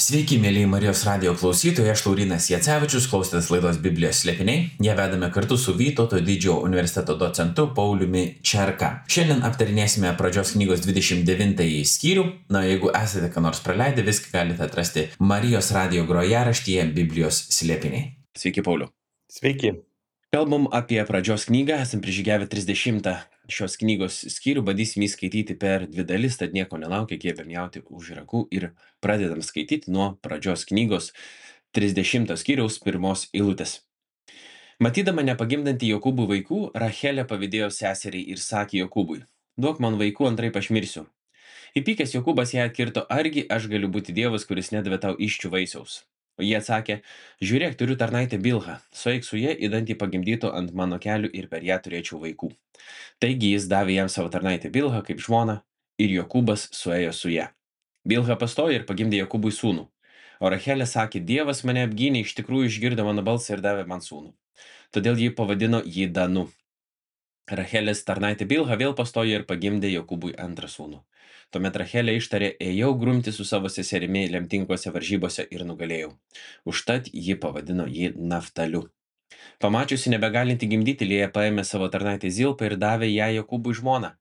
Sveiki, mėlyje Marijos radijo klausytojai, aš Laurynas Jacevičius, klausotės laidos Biblijos slėpiniai. Ją vedame kartu su Vytauto didžiojo universiteto docentu Pauliumi Čerka. Šiandien aptarinėsime pradžios knygos 29 skyrių. Na, jeigu esate ką nors praleidę, viską galite atrasti Marijos radijo grojaraštyje Biblijos slėpiniai. Sveiki, Pauliu. Sveiki. Kalbam apie pradžios knygą, esam prižygiavę 30 šios knygos skyrių, bandysim jį skaityti per 2 dalis, tad nieko nelaukia, kėbėm jauti už ragų ir pradedam skaityti nuo pradžios knygos 30 skyriaus 1 eilutės. Matydama nepagimdantį Jokūbų vaikų, Rachelė pavydėjo seseriai ir sakė Jokūbui: duok man vaikų, antraip aš mirsiu. Įpykęs Jokūbas ją atkirto: argi aš galiu būti Dievas, kuris nedavė tau iščių vaisiaus? O jie atsakė: žiūrėk, turiu tarnaitę Bilhą, sueik su ja, idant ji pagimdytų ant mano kelių ir per ją turėčiau vaikų. Taigi jis davė jam savo tarnaitę Bilhą kaip žmoną, ir Jokūbas suėjo su ja. Bilha pastojo ir pagimdė Jokūbui sūnų. O Rachelė sakė: Dievas mane apgynė, iš tikrųjų išgirdo mano balsą ir davė man sūnų. Todėl ji pavadino jį Danu. Rachelės tarnaitė Bilha vėl pastojo ir pagimdė Jokūbui antrą sūnų. Tuomet Rachelė ištarė: ėjau grumti su savo seserimi lemtingose varžybose ir nugalėjau. Užtat ji pavadino jį Naftaliu. Pamačiusi nebegalinti gimdyti, Lėja paėmė savo tarnaitę Zilpą ir davė ją Jokūbui žmoną.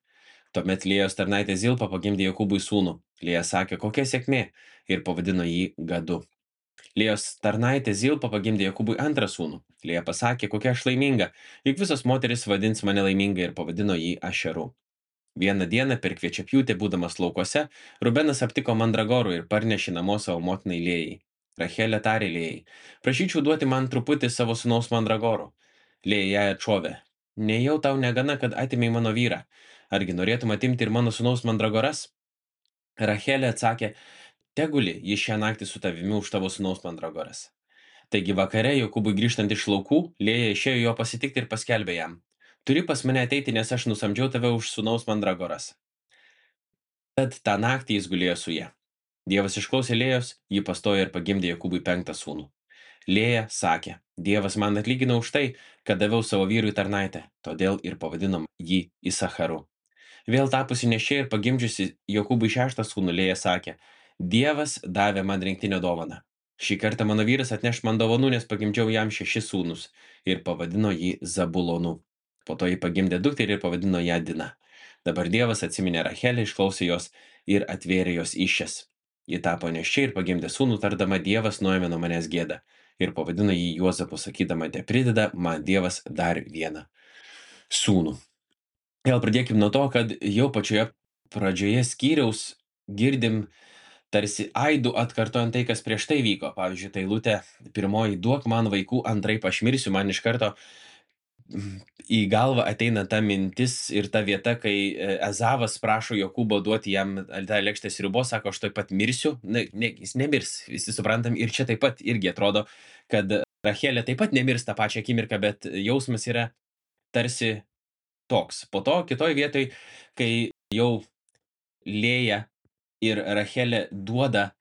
Tuomet Lėjos tarnaitė Zilpa pagimdė Jokūbui sūnų. Lėja sakė: kokia sėkmė, ir pavadino jį Gadu. Lėjos tarnaitė Zilpa pagimdė Jokūbui antrą sūnų. Lėja pasakė: kokia aš laiminga, juk visos moteris vadins mane laiminga, ir pavadino jį Ašeru. Vieną dieną per kviečiapjūtę, būdamas laukuose, Rubenas aptiko mandragorų ir parnešė namo savo motinai Lėjai. Rachelė tarė Lėjai: prašyčiau duoti man truputį savo sūnaus mandragorų. Lėja jai atšovė: nejau tau negana, kad atimei mano vyrą. Argi norėtum atimti ir mano sūnaus mandragoras? Rachelė atsakė: teguli jis šią naktį su tavimi už tavo sūnaus mandragoras. Taigi vakare Jokūbui grįžtant iš laukų, Lėja išėjo jo pasitikti ir paskelbė jam: turi pas mane ateiti, nes aš nusamdžiau tave už sūnaus mandragoras. Tad tą naktį jis gulėjo su ja. Dievas išklausė Lėjos, ji pastojo ir pagimdė Jokūbui 5 sūnų. Lėja sakė: Dievas man atlygino už tai, kad daviau savo vyrui tarnaitę, todėl ir pavadinom jį Isacharu. Vėl tapusi neščia ir pagimdžiusi Jokūbui 6 sūnų, Lėja sakė: Dievas davė man rinktinę dovaną. Šį kartą mano vyras atneš man dovanų, nes pagimdžiau jam 6 sūnus, ir pavadino jį Zabulonu. Po to jį pagimdė dukterį ir pavadino ją Dina. Dabar Dievas atsiminė Rachelę, išklausė jos ir atvėrė jos iššias. Ji tapo neščia ir pagimdė sūnų, tardama: Dievas nuėmė nuo manęs gėdą, ir pavadino jį Juozapu, sakydama: teprideda man Dievas dar vieną sūnų. Gal pradėkim nuo to, kad jau pačioje pradžioje skyriaus girdim tarsi aidų atkartojant tai, kas prieš tai vyko. Pavyzdžiui, tai eilutė pirmoji: duok man vaikų, antraip aš mirsiu. Man iš karto į galvą ateina ta mintis ir ta vieta, kai Ezavas prašo Jokūbo duoti jam tą lėkštę sriubos, sako: aš tuoj pat mirsiu. Jis nemirs, visi suprantam. Ir čia taip pat irgi atrodo, kad Rachelė taip pat nemirs tą pačią akimirką, bet jausmas yra tarsi toks. Po to kitoj vietoj, kai jau Lėja ir Rachelė duoda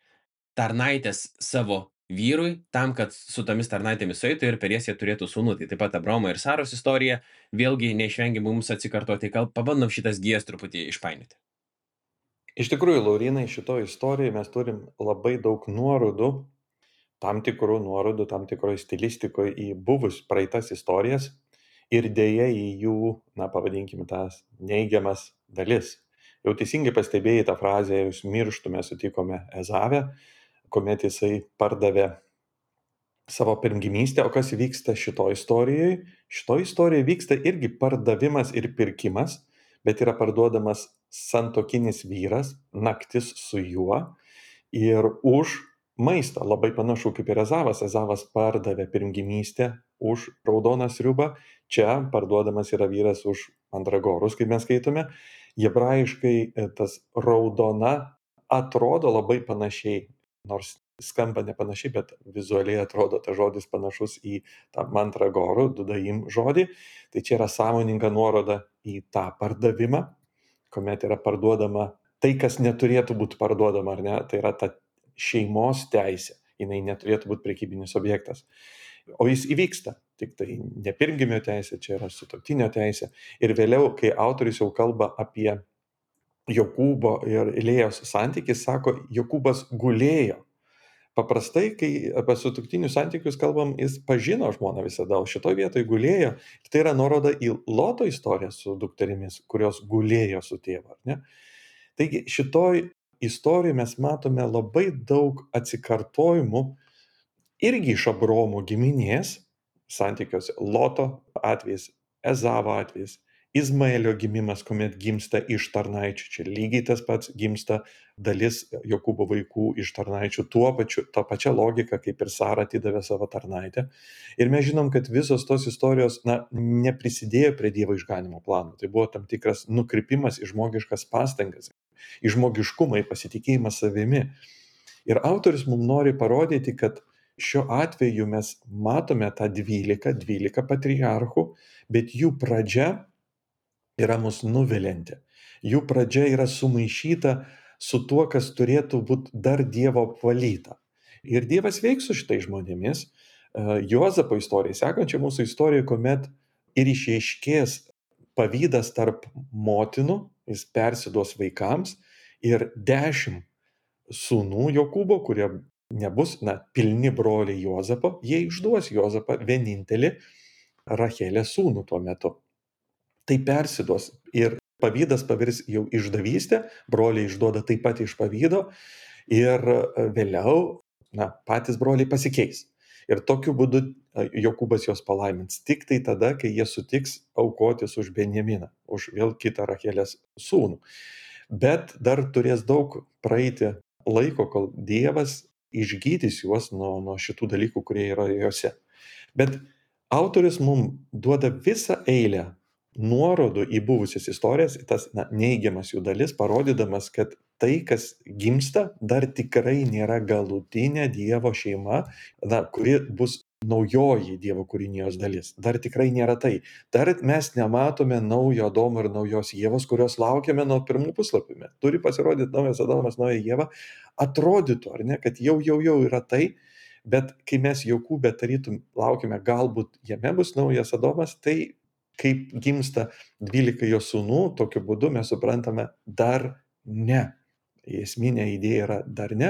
tarnaitės savo vyrui, tam, kad su tomis tarnaitėmis sueitų ir per jas jie turėtų sūnų. Tai taip pat Abraomo ir Saros istorija vėlgi neišvengiamai mums atsikartoti. Gal pabandom šitas gijas truputį išpainioti. Iš tikrųjų, Laurynai, šitoje istorijoje mes turim labai daug nuorodų, tam tikroje stilistikoje į buvus praeitas istorijas ir dėja į jų, pavadinkime, tas neigiamas dalis. Jau teisingai pastebėjai tą frazę: jūs mirštume sutikome Ezavę, kuomet jisai pardavė savo pirmgimystę. O kas vyksta šitoje istorijoje? Šitoje istorijoje vyksta irgi pardavimas ir pirkimas, bet yra parduodamas santuokinis vyras, naktis su juo ir už maistą. Labai panašu kaip ir Ezavas. Ezavas pardavė pirmgimystę už raudoną sriubą, čia parduodamas yra vyras už mandragorus, kaip mes skaitome. Hebrajiškai tas raudona atrodo labai panašiai, nors skamba nepanašiai, bet vizualiai atrodo tas žodis panašus į tą mandragorų, dudaim žodį. Tai čia yra sąmoninga nuoroda į tą pardavimą, kuomet yra parduodama tai, kas neturėtų būti parduodama, ar ne? Tai yra ta šeimos teisė, jinai neturėtų būti prekybinis objektas. O jis įvyksta, tik tai ne pirmgimio teisė, čia yra sutuoktinio teisė. Ir vėliau, kai autorius jau kalba apie Jokūbo ir Lėjos santykį, sako: Jokūbas gulėjo. Paprastai, kai apie sutuoktinių santykius kalbam, jis pažino žmoną visada, o šitoj vietoj gulėjo. Tai yra nuoroda į Loto istoriją su dukterimis, kurios gulėjo su tėvu, ar ne? Taigi šitoj istorijoj mes matome labai daug atsikartojimų irgi iš Abraomo giminės santykiuose. Loto atvejis, Ezavo atvejis, Izmaelio gimimas, kuomet gimsta iš tarnaičių. Čia lygiai tas pats gimsta dalis Jokūbo vaikų iš tarnaičių. Ta pačia logika, kaip ir Sara atidavė savo tarnaitę. Ir mes žinom, kad visos tos istorijos neprisidėjo prie Dievo išganimo plano. Tai buvo tam tikras nukrypimas į žmogiškas pastangas, į žmogiškumą, į pasitikėjimą savimi. Ir autorius mums nori parodyti, kad šiuo atveju mes matome tą 12 patriarchų, bet jų pradžia yra mus nuvilianti. Jų pradžia yra sumaišyta su tuo, kas turėtų būti dar Dievo apvalyta. Ir Dievas veiks su šitais žmonėmis. Juozapo istorija, sekančia mūsų istorija, kuomet ir išaiškės pavydas tarp motinų, jis persiduos vaikams ir 10 sūnų Jokūbo, kurie nebus, pilni broliai Juozapo, jie išduos Juozapą vienintelį Rachelės sūnų tuo metu. Tai persiduos ir pavydas pavirs jau išdavystę, broliai išduoda taip pat iš pavydo ir vėliau patys broliai pasikeis. Ir tokiu būdu Jokūbas juos palaimins tik tai tada, kai jie sutiks aukotis už Benjaminą, už vėl kitą Rachelės sūnų. Bet dar turės daug praeiti laiko, kol Dievas išgydys juos nuo šitų dalykų, kurie yra juose. Bet autorius mums duoda visą eilę nuorodų į buvusias istorijas, tas neigiamas jų dalis, parodydamas, kad tai, kas gimsta, dar tikrai nėra galutinė Dievo šeima, kuri bus naujoji Dievo kūrinijos dalis. Dar tikrai nėra tai. Dar mes nematome naujo Adomo ir naujos Ievos, kurios laukiame nuo pirmų puslapių. Turi pasirodyti naujas Adomas, nauja Ieva. Atrodytų, ar ne, kad jau yra tai, bet kai mes Jokūbe tarytum laukime, galbūt jame bus naujas Adomas, tai kaip gimsta 12 jo sūnų, tokiu būdu mes suprantame dar ne. Esminė idėja yra dar ne,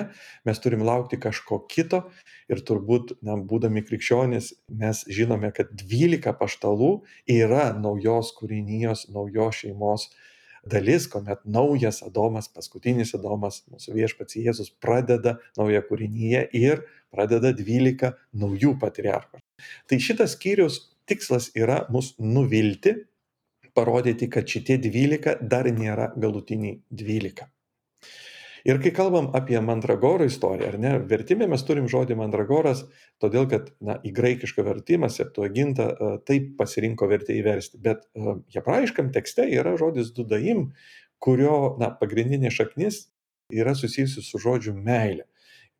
mes turim laukti kažko kito ir turbūt, būdami krikščionys, mes žinome, kad 12 apaštalų yra naujos kūrinijos, naujos šeimos dalis, kuomet naujas Adomas, paskutinis Adomas, mūsų viešpats Jėzus pradeda naują kūriniją ir pradeda 12 naujų patriarchų. Tai šitas skyrius tikslas yra mus nuvilti, parodyti, kad šitie 12 dar nėra galutiniai 12. Ir kai kalbam apie mandragorų istoriją, ar ne, vertime mes turim žodį mandragoras, todėl kad į graikišką vertimą Septuagintą taip pasirinko vertėjai versti, bet hebrajiškam tekste yra žodis dudaim, kurio pagrindinė šaknis yra susijusi su žodžiu meilė.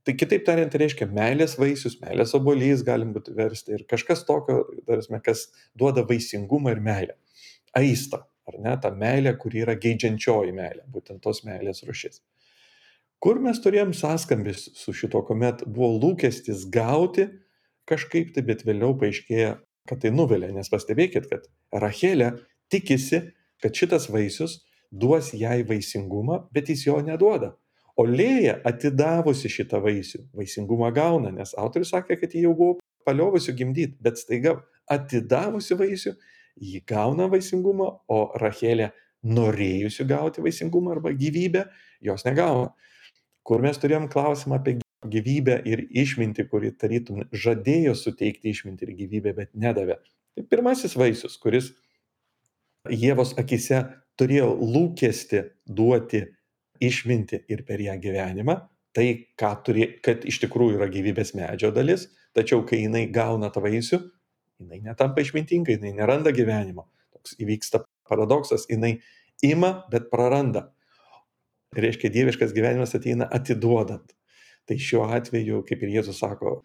Tai kitaip tariant, reiškia meilės vaisius, meilės obuolys galim būti versti ir kažkas tokio, kas duoda vaisingumą ir meilę. Aista, ar ne, ta meilė, kuri yra geidžiančioji meilė, būtent tos meilės rūšis. Kur mes turėjom sąskambis su šito, kuomet buvo lūkestis gauti kažkaip tai, bet vėliau paaiškėja, kad tai nuvilia, nes pastebėkit, kad Rachelė tikisi, kad šitas vaisius duos jai vaisingumą, bet jis jo neduoda. O Lėja atidavusi šitą vaisių, vaisingumą gauna, nes autorius sakė, kad ji jau buvo paliovusi gimdyti, bet staiga atidavusi vaisių, ji gauna vaisingumą, o Rachelė norėjusi gauti vaisingumą arba gyvybę, jos negauna. Kur mes turėjom klausimą apie gyvybę ir išmintį, kuri tarytum žadėjo suteikti išmintį ir gyvybę, bet nedavė. Tai pirmasis vaisius, kuris Ievos akise turėjo lūkesti duoti išmintį ir per ją gyvenimą, tai kad iš tikrųjų yra gyvybės medžio dalis, tačiau kai jinai gauna tą vaisių, jinai netampa išmintinga, jinai neranda gyvenimo. Toks įvyksta paradoksas, jinai ima, bet praranda. Reiškia, dieviškas gyvenimas ateina atiduodant. Tai šiuo atveju, kaip ir Jėzus sako,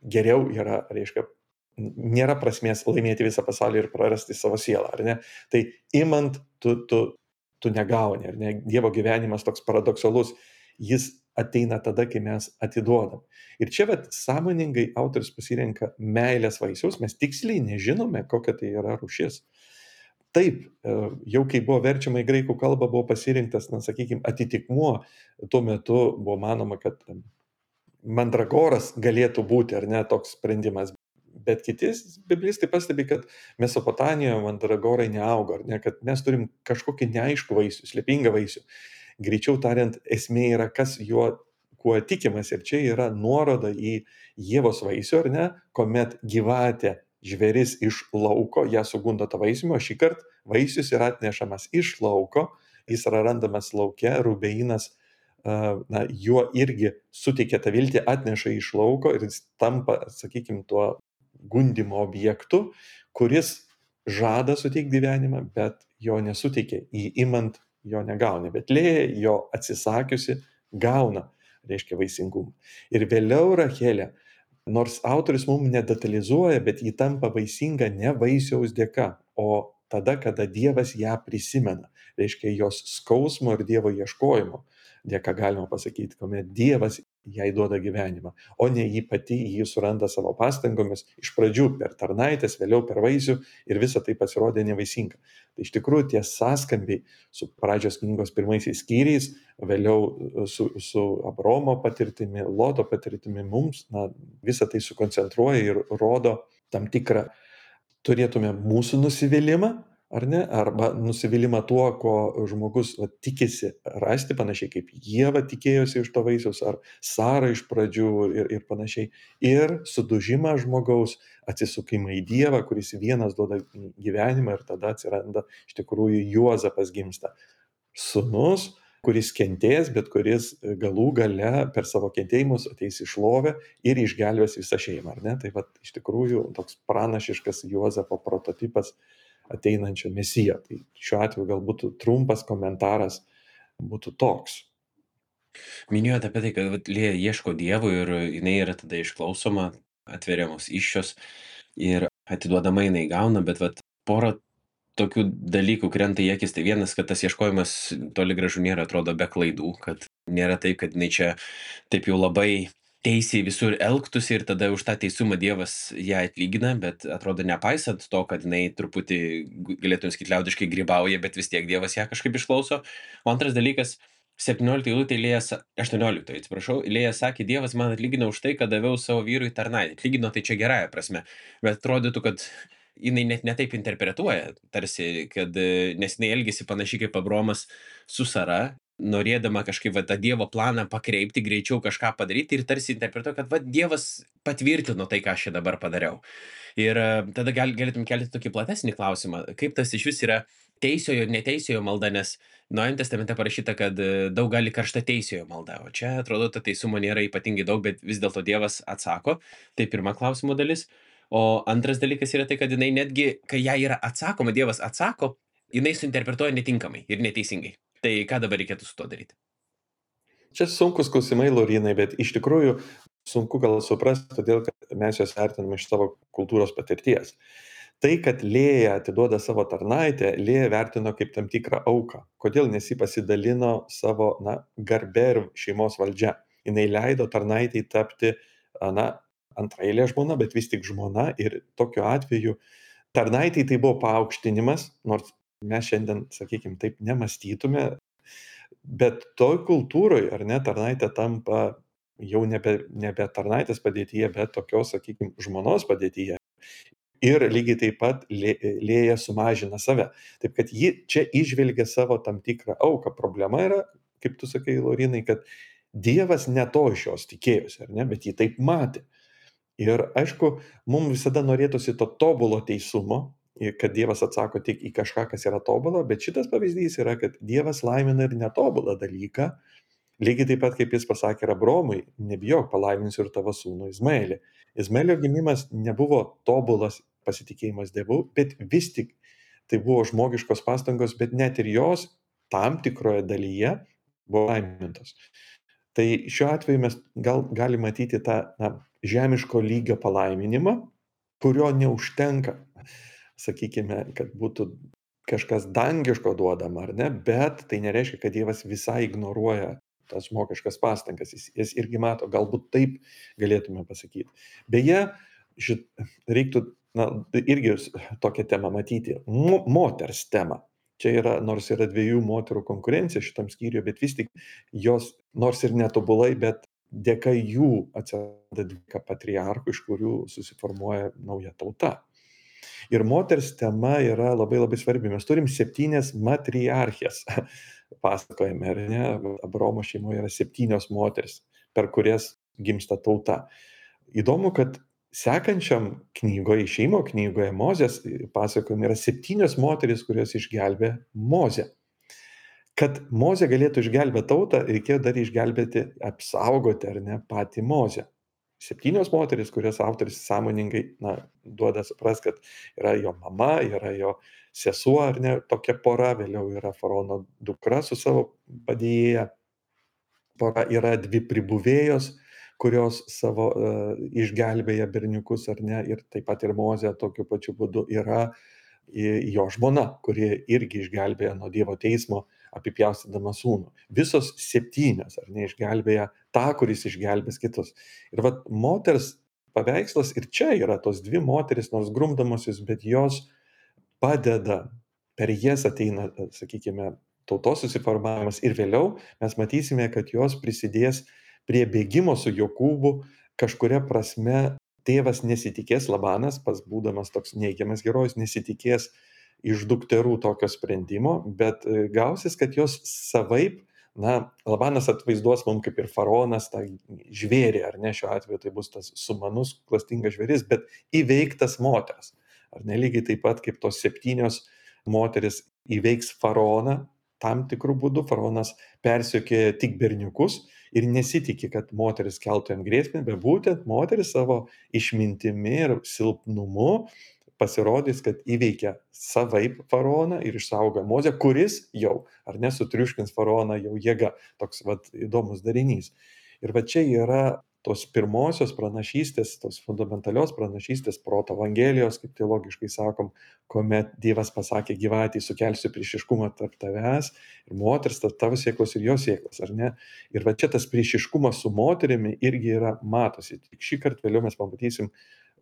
geriau yra, reiškia, nėra prasmės laimėti visą pasaulį ir prarasti savo sielą, ar ne? Tai imant, tu negauni, ar ne? Dievo gyvenimas toks paradoksalus, jis ateina tada, kai mes atiduodam. Ir čia sąmoningai autorius pasirenka meilės vaisius, mes tiksliai nežinome, kokia tai yra rūšis. Taip, jau kai buvo verčiama į graikų kalbą, buvo pasirinktas, sakykime, atitikmuo. Tuo metu buvo manoma, kad mandragoras galėtų būti, ar ne, toks sprendimas. Bet kiti biblistai pastebi, kad Mesopotamijoje mandragorai neauga, ar ne, kad mes turim kažkokį neaiškų vaisių, slėpingą vaisių. Greičiau tariant, esmė yra, kas juo, kuo tikimas. Ir čia yra nuoroda į Ievos vaisių, ar ne, kuomet gyvatė, žvėris iš lauko, ją sugundo tą vaisių, o šį kartą vaisius yra atnešamas iš lauko, jis yra randamas lauke, Rubeinas juo irgi suteikia tą viltį, atneša iš lauko ir jis tampa, sakykime, tuo gundimo objektu, kuris žada suteikti gyvenimą, bet jo nesuteikia, įimant jo negauna, bet Lėja jo atsisakiusi gauna, reiškia vaisingumą. Ir vėliau Rachelė, nors autorius mums nedetalizuoja, bet ji tampa vaisinga ne vaisiaus dėka, o tada, kada Dievas ją prisimena, reiškia jos skausmo ir Dievo ieškojimo dėka, galima pasakyti, kuomet Dievas jai duoda gyvenimą, o ne ji pati jį suranda savo pastangomis, iš pradžių per tarnaitės, vėliau per vaisių ir visa tai pasirodė nevaisinga. Tai iš tikrųjų tie sąskambiai su pradžios knygos pirmaisiais skyriais, vėliau su Abraomo patirtimi, Loto patirtimi mums, visą tai sukoncentruoja ir rodo tam tikrą, turėtume mūsų nusivylimą, ar ne, arba nusivylimą tuo, ko žmogus tikisi rasti, panašiai kaip Ieva tikėjosi iš to vaisiaus, ar Sara iš pradžių ir panašiai, ir sudužimą žmogaus, atsisukimą į Dievą, kuris vienas duoda gyvenimą, ir tada atsiranda iš tikrųjų Juozapas gimsta. Sūnus, kuris kentės, bet kuris galų gale per savo kentėjimus ateis į šlovę ir išgelbės visą šeimą, ar ne? Tai va, iš tikrųjų toks pranašiškas Juozapo prototipas ateinančio mesijo. Tai šiuo atveju galbūt trumpas komentaras būtų toks. Minėjote apie tai, kad vat, Lėja ieško Dievo ir jinai yra tada išklausoma, atveriamos iššios ir atiduodama jinai gauna, bet vat, porą tokių dalykų krenta į akis. Tai vienas, kad tas ieškojimas toli gražu nėra, atrodo, be klaidų, kad nėra taip, kad jinai čia taip jau labai teisiai visur elgtųsi ir tada už tą teisumą Dievas ją atlygina, bet atrodo nepaisant to, kad jinai truputį, galėtume sakyti, liaudiškai grybauja, bet vis tiek Dievas ją kažkaip išklauso. O antras dalykas, 17 eilutė, 18, atsiprašau, Lėja sakė, Dievas man atlygino už tai, kad daviau savo vyrui tarnaitę. Atlygino tai čia gerąja prasme, bet atrodytų, kad jinai net netaip interpretuoja, tarsi, kad nes jinai elgėsi panašiai kaip Abraomas su Sara, norėdama kažkaip va, tą Dievo planą pakreipti, greičiau kažką padaryti ir tarsi interpretuoja, kad va, Dievas patvirtino tai, ką aš čia dabar padariau. Ir tada galėtum kelti tokį platesnį klausimą, kaip tas iš vis yra teisiojo ir neteisiojo malda, nes Naujajame testamente parašyta, kad daug gali karšta teisiojo malda, o čia atrodo, ta teisumo nėra ypatingai daug, bet vis dėlto Dievas atsako. Tai pirma klausimo dalis. O antras dalykas yra tai, kad jinai netgi, kai jai yra atsakoma, Dievas atsako, jinai suinterpretuoja netinkamai ir neteisingai. Tai ką dabar reikėtų su to daryti? Čia sunkus klausimai, Laurinai, bet iš tikrųjų sunku gal suprasti, todėl kad mes juos vertiname iš savo kultūros patirties. Tai, kad Lėja atiduoda savo tarnaitę, Lėja vertino kaip tam tikrą auką. Kodėl? Nes ji pasidalino savo garbę ir šeimos valdžia. Jinai leido tarnaitei tapti antraeilė žmona, bet vis tik žmona, ir tokiu atveju tarnaitei tai buvo paaukštinimas, nors mes šiandien, sakykime, taip nemastytume, bet toj kultūroj, ar ne, tarnaitė tampa jau nebe tarnaitės padėtyje, bet tokios, sakykime, žmonos padėtyje. Ir lygiai taip pat Lėja sumažina save. Taip kad ji čia įžvelgia savo tam tikrą auką. Problema yra, kaip tu sakai, Laurinai, kad Dievas ne to iš jos tikėjosi, ar ne, bet jį taip matė. Ir aišku, mums visada norėtųsi to tobulo teisumo, kad Dievas atsako tik į kažką, kas yra tobulą, bet šitas pavyzdys yra, kad Dievas laimina ir netobulą dalyką. Lygiai taip pat, kaip jis pasakė Abraomui, nebijok, palaiminsiu ir tavo sūnų Izmaelį. Izmaelio gimimas nebuvo tobulas pasitikėjimas Dievu, bet vis tik tai buvo žmogiškos pastangos, bet net ir jos tam tikroje dalyje buvo laimintos. Tai šiuo atveju mes galime matyti tą žemiško lygio palaiminimą, kurio neužtenka, sakykime, kad būtų kažkas dangiško duodama, ar ne, bet tai nereiškia, kad Dievas visai ignoruoja tas žmogiškas pastangas, jis irgi mato, galbūt taip galėtume pasakyti. Beje, reiktų irgi tokią temą matyti, moters temą. Čia yra, nors yra dviejų moterų konkurencija šitam skyriuje, bet vis tik jos, nors ir netobulai, bet dėka jų atsiranda 12 patriarchų, iš kurių susiformuoja nauja tauta. Ir moters tema yra labai labai svarbi. Mes turim 7 matriarchijas pasakojame, ar ne? Abraomo šeimoje yra 7 moteris, per kurias gimsta tauta. Įdomu, kad sekančiam knygoje, išėjimo knygoje, Mozės pasakojime yra 7 moteris, kurios išgelbė Mozę. Kad Mozė galėtų išgelbėti tautą, reikėjo dar išgelbėti, apsaugoti, ar ne, patį Mozę. 7 moteris, kurias autoris sąmoningai, duoda suprast, kad yra jo mama, yra jo sesuo, ar ne, tokia pora, vėliau yra faraono dukra su savo padėjėja, pora yra 2 pribuvėjos, kurios savo išgelbėja berniukus, ar ne, ir taip pat ir Mozė tokiu pačiu būdu yra jo žmona, kuri irgi išgelbėja nuo Dievo teismo, apipjaustydama sūnų. Visos 7, ar ne, išgelbėja tą, kuris išgelbės kitus. Ir vat moters paveikslas ir čia yra tos 2 moteris, nors grumdamosios, bet jos padeda, per jas ateina, sakykime, tautos susiformavimas ir vėliau mes matysime, kad jos prisidės prie bėgimo su Jokūbu. Kažkuria prasme tėvas nesitikės, Labanas, pats būdamas toks neigiamas herojus, nesitikės iš dukterų tokio sprendimo, bet gausis, kad jos savaip, Labanas atvaizduos mums kaip ir faraonas tą žvėrį, ar ne, šiuo atveju tai bus tas sumanus, klastingas žvėris, bet įveiktas moters. Ar ne, lygiai taip pat kaip tos 7 moteris įveiks faraoną, tam tikrų būdų faraonas persekioja tik berniukus ir nesitikė, kad moteris keltų jam grėsmę, bet būtent moteris savo išmintimi ir silpnumu pasirodys, kad įveikia savaip faraoną ir išsaugo Mozę, kuris jau, ar ne, sutriuškins faraoną jau jėga. Toks įdomus darinys. Ir čia yra tos pirmosios pranašystės, tos fundamentalios pranašystės proto evangelijos, kaip teologiškai sakom, kuomet Dievas pasakė gyvatei, sukelsiu priešiškumą tarp tavęs ir moters, tarp tavo sėklos ir jos sėklos, ar ne? Ir čia tas priešiškumas su moterimi irgi yra matosi. Tik šį kartą vėliau mes pamatysim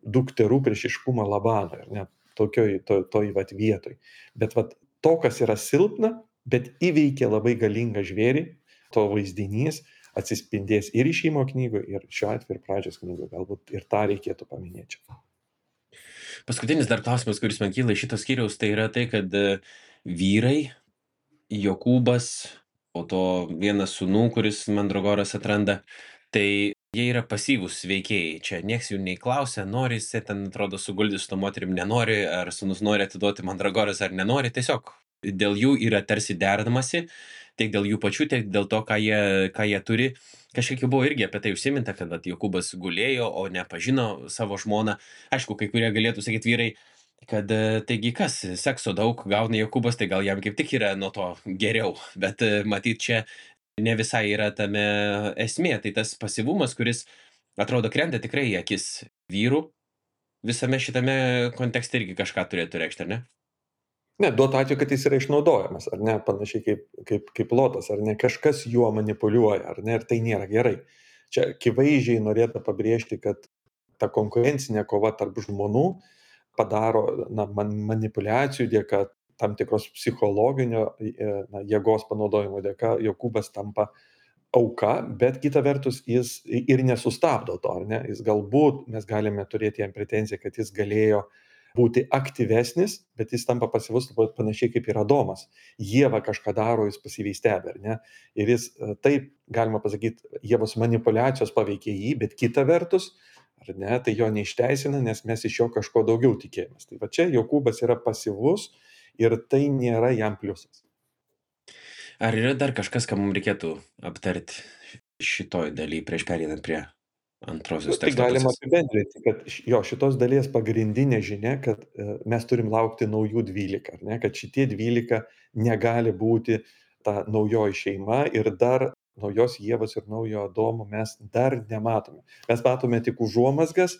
dukterų priešiškumą Labanui, ar ne? Toj vietoj. Bet to, kas yra silpna, bet įveikia labai galingą žvėrį, to vaizdinys atsispindės ir išėjimo knygoje, ir šiuo atveju ir pradžios knygoje. Galbūt ir tą reikėtų paminėti. Paskutinis dar klausimas, kuris man kyla iš šitos skyriaus, tai yra tai, kad vyrai, Jokūbas, po to vienas sūnų, kuris Mandragoras atranda, tai jie yra pasyvūs veikėjai. Čia nieks jų nei klausia, nori jis ten, atrodo, suguldyti su to moterim, nenori, ar sūnus nori atiduoti Mandragoras ar nenori, tiesiog dėl jų yra tarsi derinamasi, tiek dėl jų pačių, tiek dėl to, ką jie turi. Kažkiek jau buvo irgi apie tai užsiminta, kad Jokūbas gulėjo, o nepažino savo žmoną. Aišku, kai kurie galėtų sakyti vyrai, kad taigi kas, sekso daug gauna Jokūbas, tai gal jam kaip tik yra nuo to geriau. Bet matyt, čia ne visai yra tame esmė. Tai tas pasyvumas, kuris atrodo krenta tikrai į akis vyrų, visame šitame kontekste irgi kažką turėtų reikšti, ar ne? Ne, duotų atveju, kad jis yra išnaudojamas, ar ne, panašiai kaip Lotas, ar ne, kažkas juo manipuliuoja, ar ne, ir tai nėra gerai. Čia akivaizdžiai norėtų pabrėžti, kad ta konkurencinė kova tarp žmonų padaro manipulacijų dėka, tam tikros psichologinio jėgos panaudojimo dėka, Jokūbas tampa auka, bet kita vertus jis ir nesustabdo to, ar ne, jis galbūt, mes galime turėti jam pretenziją, kad jis galėjo būti aktyvesnis, bet jis tampa pasyvus panašiai kaip ir Adomas. Ieva kažką daro, jis pasyviai stebi, ar ne? Ir jis, taip, galima pasakyti, Ievos manipulacijos paveikė jį, bet kita vertus, ar ne, tai jo neišteisina, nes mes iš jo kažko daugiau tikėjomės. Tai čia Jokūbas yra pasyvus ir tai nėra jam pliusas. Ar yra dar kažkas, ką mums reikėtų aptarti šitoj daly prieš pereinant prie antrosios Tai teksto galima pusės? apibendrinti, kad šitos dalies pagrindinė žinia, kad mes turim laukti naujų 12, ar ne, kad šitie 12 negali būti ta naujoji šeima ir dar naujos Ievos ir naujo Adomo mes dar nematome. Mes matome tik užuomazgas,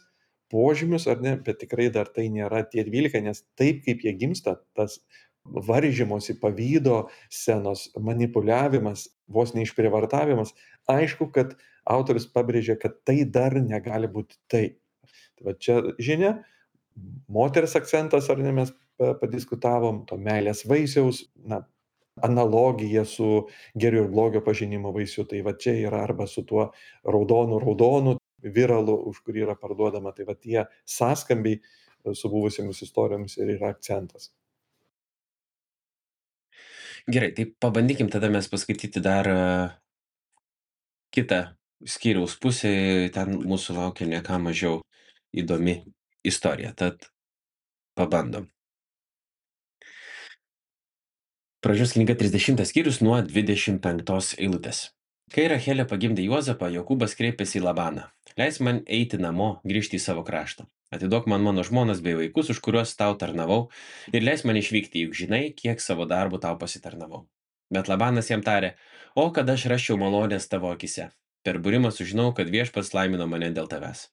požymius, ar ne, bet tikrai dar tai nėra tie 12, nes taip kaip jie gimsta, tas varžymosi, pavydo scenos, manipuliavimas, vos neišprievartavimas, aišku, kad autorius pabrėžia, kad tai dar negali būti taip. Tai čia žinia, moters akcentas, ar ne, mes padiskutavom, to meilės vaisiaus, analogija su gėrio ir blogio pažinimo vaisiu. Tai va čia yra arba su tuo raudonu viralu, už kurį yra parduodama. Tai va tie sąskambiai su buvusiamis istorijomis ir yra akcentas. Gerai, tai pabandykim tada mes paskaityti dar kitą skyriaus pusę, ten mūsų laukia ne ką mažiau įdomi istorija, tad pabandom. Pradžios knyga 30 skyrius nuo 25 eilutės. Kai Rachelė pagimdė Juozapą, Jokūbas kreipėsi į Labaną. Leis man eiti namo, grįžti į savo kraštą. Atiduok man mano žmonas bei vaikus, už kuriuos tau tarnavau, ir leis man išvykti, juk žinai, kiek savo darbų tau pasitarnavau. Bet Labanas jam tarė, o kad aš rasčiau malonės tavo akise. Per būrimą sužinau, kad viešpats laimino mane dėl tavęs.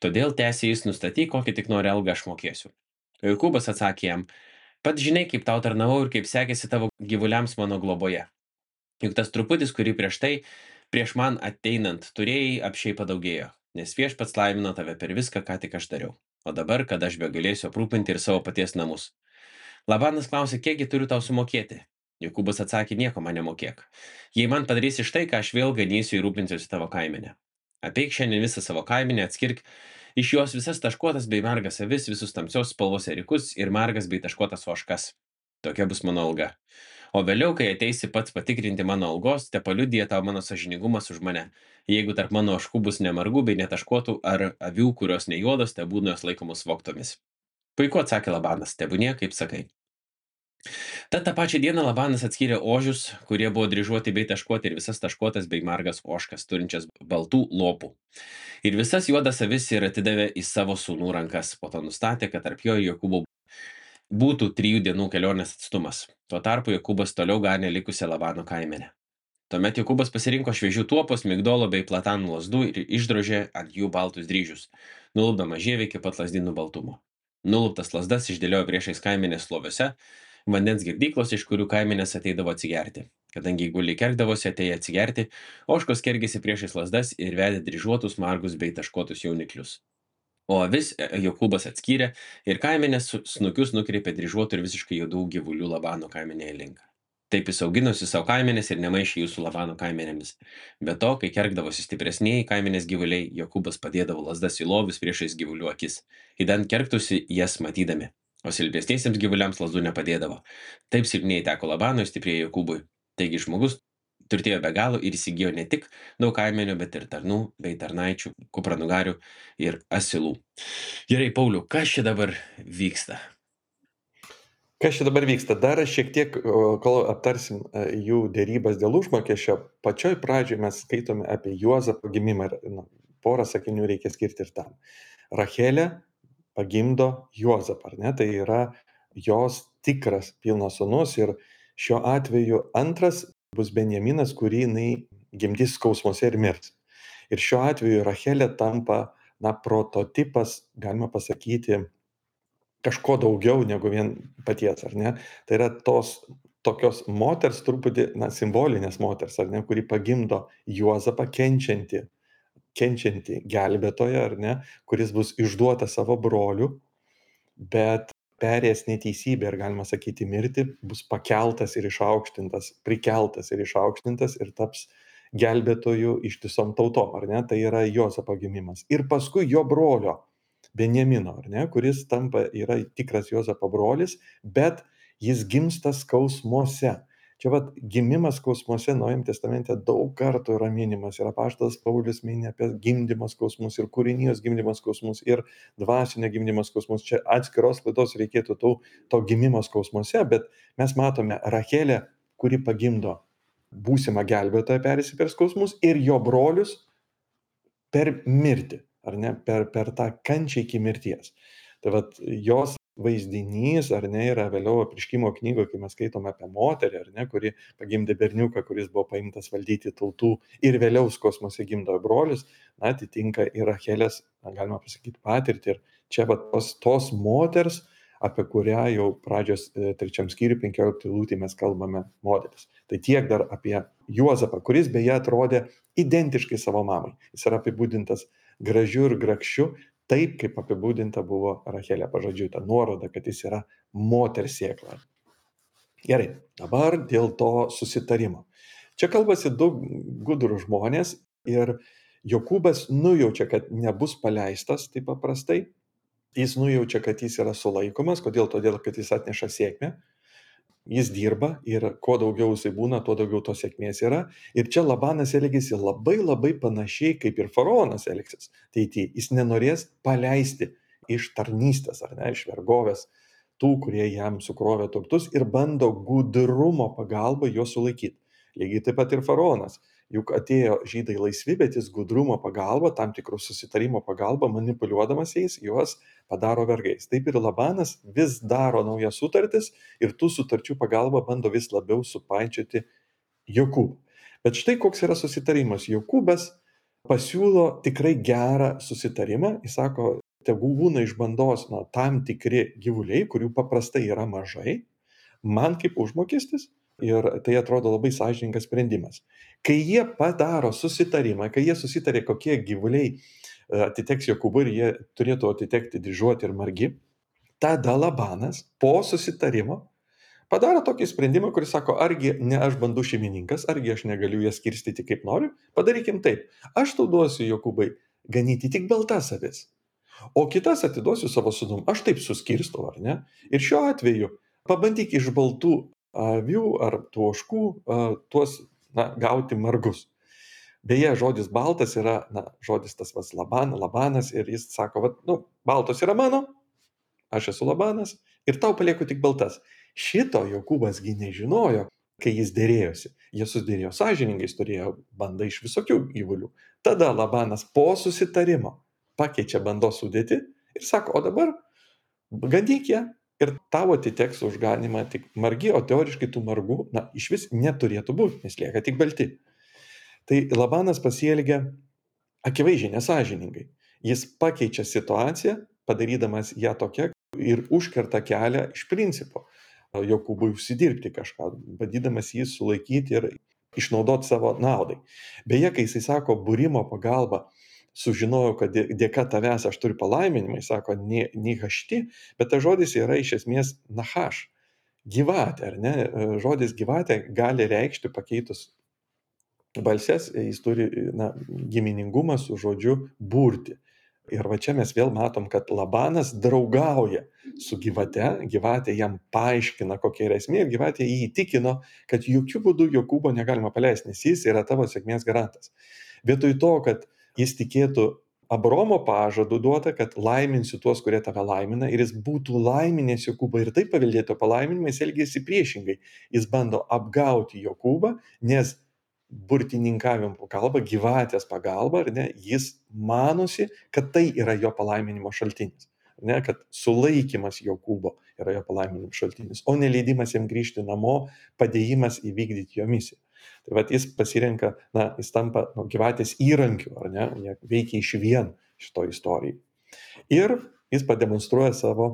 Todėl tęsė jis, nustatyk, kokį tik nori algą aš mokėsiu. Jokūbas atsakė jam, pats žinai, kaip tau tarnavau ir kaip sekėsi tavo gyvuliams mano globoje. Juk tas truputis, kurį prieš man ateinant turėjai, apšiai padaugėjo, nes viešpats laimino tave per viską, ką tik aš dariau. O dabar, kad aš begalėsiu aprūpinti ir savo paties namus. Labanas klausė, kiekgi turiu tau sumokėti. Jokūbas atsakė, nieko man nemokėk. Jei man padarysi štai, ką aš vėl ganysiu ir rūpinsiuosi tavo kaimenę. Apeik šiandien visą savo kaimenę, atskirk iš jos visas taškuotas bei margas avis, visus tamsios spalvos ėriukus ir margas bei taškuotas ožkas. Tokia bus mano alga. O vėliau, kai ateisi pats patikrinti mano algos, te paliudija tau mano sąžiningumas už mane. Jeigu tarp mano ožkų bus nemargų bei netaškuotų ar avių, kurios ne juodos, te būna jos laikomos vogtomis. Puiku, atsakė Labanas, tebūnie, kaip sakai. Tad tą pačią dieną Labanas atskyrė ožius, kurie buvo dryžuoti bei taškuoti, ir visas taškuotas bei margas ožkas, turinčias baltų lopų. Ir visas juodas avis ir atidavė į savo sūnų rankas. Po to nustatė, kad tarp jo ir Jokūbo būtų 3 dienų kelionės atstumas. Tuo tarpu Jokūbas toliau ganė likusią Labano kaimenę. Tuomet Jokūbas pasirinko šviežių tuopos, migdolo bei platanų lazdų ir išdrožė ant jų baltus dryžius, nulupdamas žievę iki pat lazdynų baltumo. Nuluptas lazdas išdėliojo priešais kaimenės sloviuose, vandens girdyklos, iš kurių kaimenės ateidavo atsigerti. Kadangi guliai kergdavosi atėję atsigerti, ožkos kergėsi priešais lazdas ir vedė dryžuotus, margus bei taškuotus jauniklius. O avis Jokūbas atskyrė ir kaimenės snukius nukreipė dryžuotų ir visiškai juodų gyvulių Labano kaimenėje link. Taip jis auginosi savo kaimenės ir nemaišė jų su Labano kaimenėmis. Be to, kai kergdavosi stipresnieji kaimenės gyvuliai, Jokūbas padėdavo lazdas į lovius priešais gyvulių akis, idant kergtųsi jas matydami, o silpnesniesiems gyvuliams lazdų nepadėdavo. Taip silpnieji teko Labanui, stiprieji Jokūbui. Taigi žmogus turtėjo be galo ir įsigijo ne tik daug kaimenių, bet ir tarnų bei tarnaičių, kupranugarių ir asilų. Gerai, Pauliau, kas čia dabar vyksta? Kas čia dabar vyksta? Dar šiek tiek, kol aptarsim jų dėrybas dėl užmokesčio, pačioj pradžioj mes skaitome apie Juozapą gimimą ir porą sakinių reikia skirti ir tam. Rachelė pagimdo Juozapą, ar ne? Tai yra jos tikras pilnas sūnus ir šiuo atveju antras bus Benjaminas, kurį jinai gimdys skausmuose ir mirs. Ir šiuo atveju Rachelė tampa, prototipas, galima pasakyti, kažko daugiau negu vien paties, ar ne? Tai yra tokios moters, truputį, simbolinės moters, ar ne, kuri pagimdo Juozapą kenčiantį gelbėtoją, ar ne, kuris bus išduotas savo brolių, bet perėjęs neteisybę ir, galima sakyti, mirtį, bus pakeltas ir išaukštintas, prikeltas ir išaukštintas ir taps gelbėtojų ištisom tautom, ar ne? Tai yra Juozapo gimimas. Ir paskui jo brolio Benjamino, ar ne, kuris yra tikras Juozapo brolis, bet jis gimsta skausmuose. Čia gimimas skausmuose Naujajame testamente daug kartų yra minimas ir apaštalas Paulius mini apie gimdymo skausmus ir kūrinijos gimdymo skausmus ir dvasinio gimdymo skausmus. Čia atskiros laidos reikėtų to gimimo skausmuose, bet mes matome Rachelę, kuri pagimdo būsimą gelbėtoją perėjusi per skausmus ir jo brolius per mirtį, ar ne, per tą kančią iki mirties. Tai jos vaizdinys, ar ne, yra vėliau Apreiškimo knygoje, kai mes skaitome apie moterį, ar ne, kuri pagimdė berniuką, kuris buvo paimtas valdyti tautų ir vėliau skausmuose gimdo brolius, atitinka ir Rachelės, galima pasakyti, patirtį. Ir čia tos moters, apie kurią jau pradžios 3 skyriui 15 eilutėje mes kalbame, modelis. Tai tiek dar apie Juozapą, kuris beje atrodė identiškai savo mamai. Jis yra apibūdintas gražiu ir grakščiu, taip kaip apibūdinta buvo Rachelė pažodžiui, ta nuoroda, kad jis yra moters sėkla. Gerai, dabar dėl to susitarimo. Čia kalbasi du gudrų žmonės ir Jokūbas nujaučia, kad nebus paleistas taip paprastai. Jis nujaučia, kad jis yra sulaikomas. Kodėl? Todėl, kad jis atneša sėkmę. Jis dirba ir kuo daugiau jisai būna, tuo daugiau tos sėkmės yra. Ir čia Labanas elgėsi labai labai panašiai, kaip ir faraonas elgsis. Tai jis nenorės paleisti iš tarnystės, ar ne, iš vergovės tų, kurie jam sukrovė turtus ir bando gudrumo pagalba juos sulaikyti. Lygiai taip pat ir faraonas. Juk atėjo žydai laisvi, bet jis gudrumo pagalba, tam tikrų susitarimo pagalba, manipuliuodamas jais, juos padaro vergais. Taip ir Labanas vis daro naujas sutartis ir tų sutarčių pagalba bando vis labiau supainioti Jokūbą. Bet štai koks yra susitarimas. Jokūbas pasiūlo tikrai gerą susitarimą. Jis sako, tegu būna iš bandos tam tikri gyvuliai, kurių paprastai yra mažai, man kaip užmokestis. Ir tai atrodo labai sąžiningas sprendimas. Kai jie padaro susitarimą, kai jie susitarė, kokie gyvuliai atiteks Jokūbui ir jie turėtų atitekti dryžuoti ir margi, tada Labanas po susitarimo padaro tokį sprendimą, kuris sako, argi ne aš bandų šeimininkas, argi aš negaliu jas skirstyti kaip noriu, padarykim taip, aš tau duosiu Jokūbai ganyti tik baltas avis, o kitas atiduosiu savo sūnum, aš taip suskirstau, ar ne? Ir šiuo atveju pabandyk iš baltų avių ar tų ožkų tuos gauti margus. Beje, žodis baltas yra, žodis tas vas Labanas ir jis sako, baltos yra mano, aš esu Labanas ir tau palieku tik baltas. Šito Jokūbas gi nežinojo, kai jis dėrėjosi. Jie susidėrėjo sąžiningai, jis turėjo bandą iš visokių gyvulių. Tada Labanas po susitarimo pakeičia bandos sudėtį ir sako, o dabar gandyk ją ir tau atiteks už ganimą tik margi, o teoriškai tų margų, iš vis neturėtų būti, nes lieka tik balti. Tai Labanas pasielgia akivaizdžiai nesąžiningai. Jis pakeičia situaciją, padarydamas ją tokia ir užkerta kelią iš principo Jokūbui užsidirbti kažką, bandydamas jį sulaikyti ir išnaudoti savo naudai. Beje, kai jisai sako, būrimo pagalba, sužinojau, kad dėka tavęs aš turiu palaiminimą, jis sako, nihašti, bet tas žodis yra iš esmės nahaš, gyvatė, ar ne? Žodis gyvatė gali reikšti pakeitus balses, jis turi giminingumą su žodžiu burti. Ir va čia mes vėl matom, kad Labanas draugauja su gyvate, gyvatė jam paaiškina, kokia yra esmė, ir gyvatė jį įtikino, kad jokių būdų Jokūbo negalima paleisti, nes jis yra tavo sėkmės garantas. Vietoj to, kad jis tikėtų Abromo pažadu duota, kad laiminsiu tuos, kurie tave laimina, ir jis būtų laiminęs Jokūbą ir taip paveldėto palaiminimą, jis elgėsi priešingai. Jis bando apgauti Jokūbą, nes burtininkavimo pagalba, gyvatės pagalba, ar ne, jis manosi, kad tai yra jo palaiminimo šaltinis, ne, kad sulaikymas Jokūbo yra jo palaiminimo šaltinis, o neleidimas jam grįžti namo, padėjimas įvykdyti jo misiją. Tai vat jis pasirenka, jis tampa gyvatės įrankiu, ar ne, jie veikia iš vien šito istorijai. Ir jis pademonstruoja savo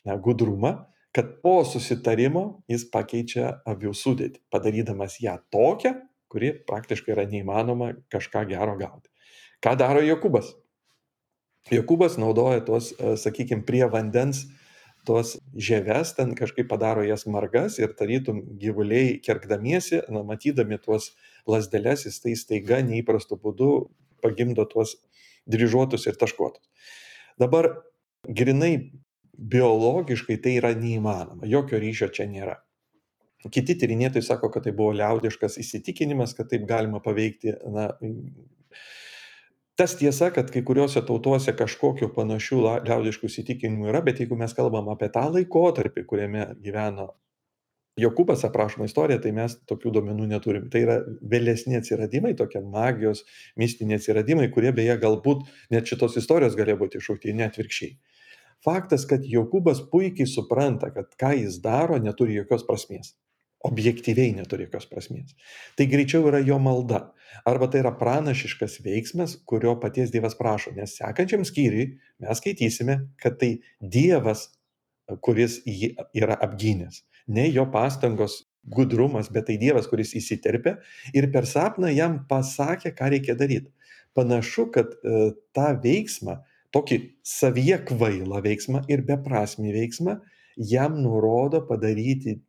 gudrumą, kad po susitarimo jis pakeičia avių sudėtį, padarydamas ją tokią, kuri praktiškai yra neįmanoma kažką gero gauti. Ką daro Jokūbas? Jokūbas naudoja tuos, sakykime, prie vandens tuos žieves, ten kažkaip padaro jas margas ir tarytum gyvuliai kerkdamiesi, matydami tuos lasdeles, jis tai staiga neįprastu būdu pagimdo tuos dryžuotus ir taškuotus. Dabar grinai biologiškai tai yra neįmanoma, jokio ryšio čia nėra. Kiti tyrinėtojai sako, kad tai buvo liaudiškas įsitikinimas, kad taip galima paveikti. Tas tiesa, kad kai kuriuose tautose kažkokiu panašių liaudiškų įsitikinimų yra, bet jeigu mes kalbam apie tą laikotarpį, kuriame gyveno Jokūbas, aprašoma istorija, tai mes tokių duomenų neturim. Tai yra vėlesni atsiradimai, tokie magijos, mistiniai atsiradimai, kurie beje galbūt net šitos istorijos galėjo būti iššaukti, ne atvirkščiai. Faktas, kad Jokūbas puikiai supranta, kad ką jis daro, neturi jokios prasmės. Objektyviai neturi jokios prasmės. Tai greičiau yra jo malda. Arba tai yra pranašiškas veiksmas, kurio paties Dievas prašo. Nes sekančiam skyriui mes skaitysime, kad tai Dievas, kuris jį yra apgynęs. Ne jo pastangos, gudrumas, bet tai Dievas, kuris įsiterpė ir per sapną jam pasakė, ką reikia daryti. Panašu, kad tą veiksmą, tokį savyje kvailą veiksmą ir beprasmį veiksmą, jam nurodo padaryti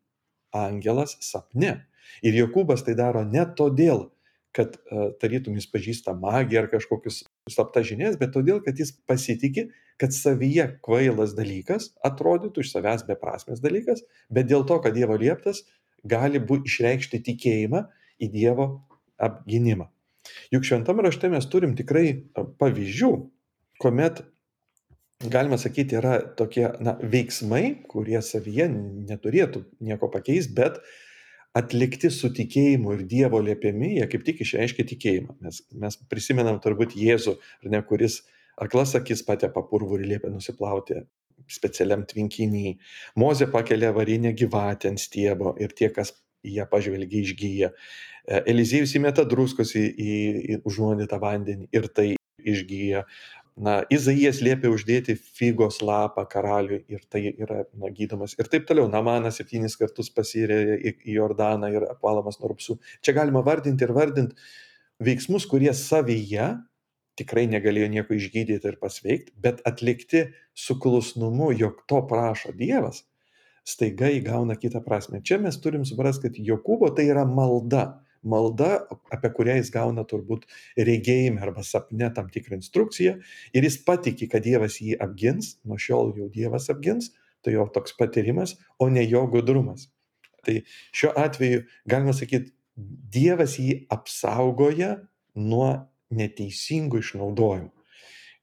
angelas sapne. Ir Jokūbas tai daro ne todėl, kad tarytum jis pažįsta magiją ar kažkokius slaptas žinias, bet todėl, kad jis pasitikė, kad savyje kvailas dalykas atrodytų iš savęs beprasmės dalykas, bet dėl to, kad Dievo lieptas, gali išreikšti tikėjimą į Dievo apginimą. Juk šventame rašte mes turim tikrai pavyzdžių, kuomet, galima sakyti, yra tokie veiksmai, kurie savyje neturėtų nieko pakeisti, bet atlikti su tikėjimu ir Dievo liepiami, jie kaip tik išreiškia tikėjimą. Mes prisimenam turbūt Jėzų, ar ne, kuris aklas akis patepa purvų ir liepia nusiplauti specialiam tvenkinyje. Mozė pakelia varinę gyvatę ant stiebo ir tie, kas į ją pažvelgia, išgyja. Eliziejus įmeta druskos į užnuodytą vandenį ir tai išgyja. Izaijas liepia uždėti figos lapą karaliui ir tai yra gydomas. Ir taip toliau. Namanas 7 kartus pasirė į Jordaną ir apvalomas nuo rupsų. Čia galima vardinti ir vardinti veiksmus, kurie savyje tikrai negalėjo nieko išgydyti ir pasveikti, bet atlikti su klusnumu, jog to prašo Dievas, staiga įgauna kitą prasme. Čia mes turim suprasti, kad Jokūbo tai yra malda. Malda, apie kurią jis gauna turbūt regėjime arba sapne tam tikrą instrukciją ir jis patiki, kad Dievas jį apgins, nuo šiol jau Dievas apgins, tai jo toks patyrimas, o ne jo gudrumas. Tai šiuo atveju galima sakyti, Dievas jį apsaugoja nuo neteisingų išnaudojimų.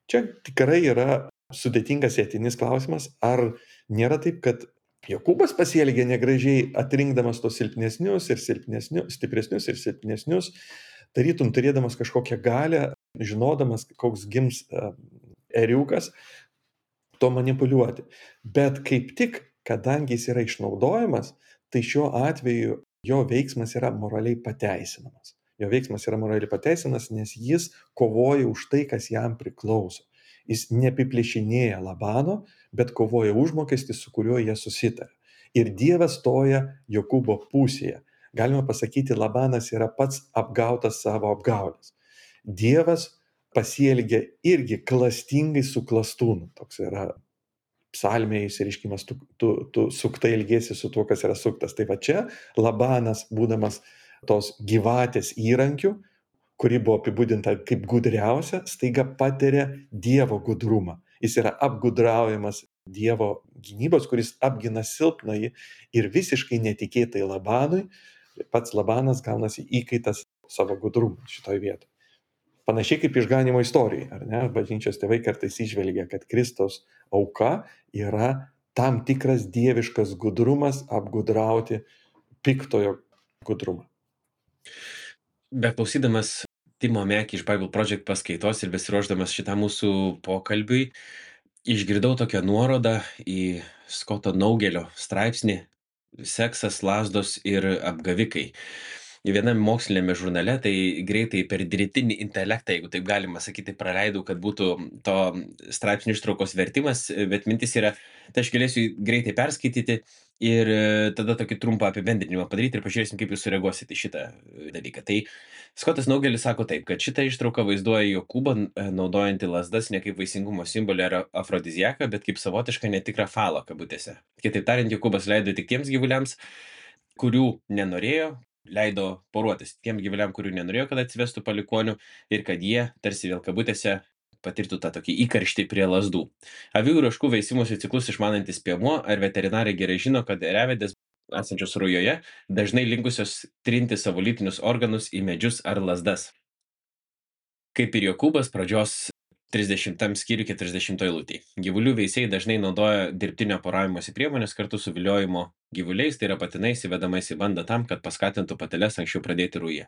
Čia tikrai yra sudėtingas etinis klausimas, ar nėra taip, kad Jokūbas pasielgė negražiai, atrinkdamas tos silpnesnius ir silpnesnius, stipresnius ir silpnesnius, tarytum turėdamas kažkokią galią, žinodamas, koks gims ėriukas, to manipuliuoti. Bet kaip tik, kadangi jis yra išnaudojamas, tai šiuo atveju jo veiksmas yra moraliai pateisinamas. Jo veiksmas yra moraliai pateisinamas, nes jis kovoja už tai, kas jam priklauso. Jis neapiplėšinėja Labano, bet kovoja užmokestį, su kuriuo jie susitarė. Ir Dievas stoja Jokūbo pusėje. Galima pasakyti, Labanas yra pats apgautas savo apgaulės. Dievas pasielgia irgi klastingai su klastūnu. Toks yra psalmėje išsireiškimas, tu suktai ilgėsi su tuo, kas yra suktas. Tai va čia Labanas, būdamas tos gyvatės įrankiu, kuri buvo apibūdinta kaip gudriausia, staiga patiria Dievo gudrumą. Jis yra apgudraujamas Dievo gynybos, kuris apgina silpnąjį ir visiškai netikėtai Labanui, pats Labanas gaunasi įkaitas savo gudrumą šitoje vietoje. Panašiai kaip išganimo istorija, ar ne? Bažnyčios tėvai kartais įžvelgia, kad Kristaus auka yra tam tikras dieviškas gudrumas apgudrauti piktojo gudrumą. Beklausydamas Timo Mekį iš Bible Project paskaitos ir besiruošdamas šitam mūsų pokalbiui, išgirdau tokią nuorodą į Skoto Naugelio straipsnį Seksas, lazdos ir apgavikai. Viename mokslinėme žurnale, tai greitai per dirbtinį intelektą, jeigu taip galima sakyti, praleidau, kad būtų to straipsnio ištraukos vertimas, bet mintis yra, tai aš galėsiu greitai perskaityti ir tada tokį trumpą apibendrinimą padaryti ir pažiūrėsim, kaip jūs sureaguosite į šitą dalyką. Tai Skotas Naugelis sako taip, kad šitą ištrauką vaizduoja Jokūbą naudojantį lazdas ne kaip vaisingumo simbolį ar afrodiziaką, bet kaip savotišką netikrą falą kabutėse. Kitaip tariant, Jokūbas leido tik tiems gyvuliams, kurių nenorėjo, leido poruotis tiem gyvuliam, kurių nenorėjo, kad atsivestų palikonių ir kad jie, tarsi vėl kabutėse, patirtų tą tokį įkarštį prie lazdų. Avių ir ožkų veisimosi ciklus išmanantis piemuo ar veterinarai gerai žino, kad ėriavedės esančios rujoje dažnai linkusios trinti savo lytinius organus į medžius ar lazdas. Kaip ir Jokūbas pradžios 30 skyriui 40 eilutėje. Gyvulių veisėjai dažnai naudoja dirbtinio poravimosi priemonės kartu su viliojimo gyvuliais, tai yra patinais įvedamais į bandą tam, kad paskatintų pateles anksčiau pradėti rują.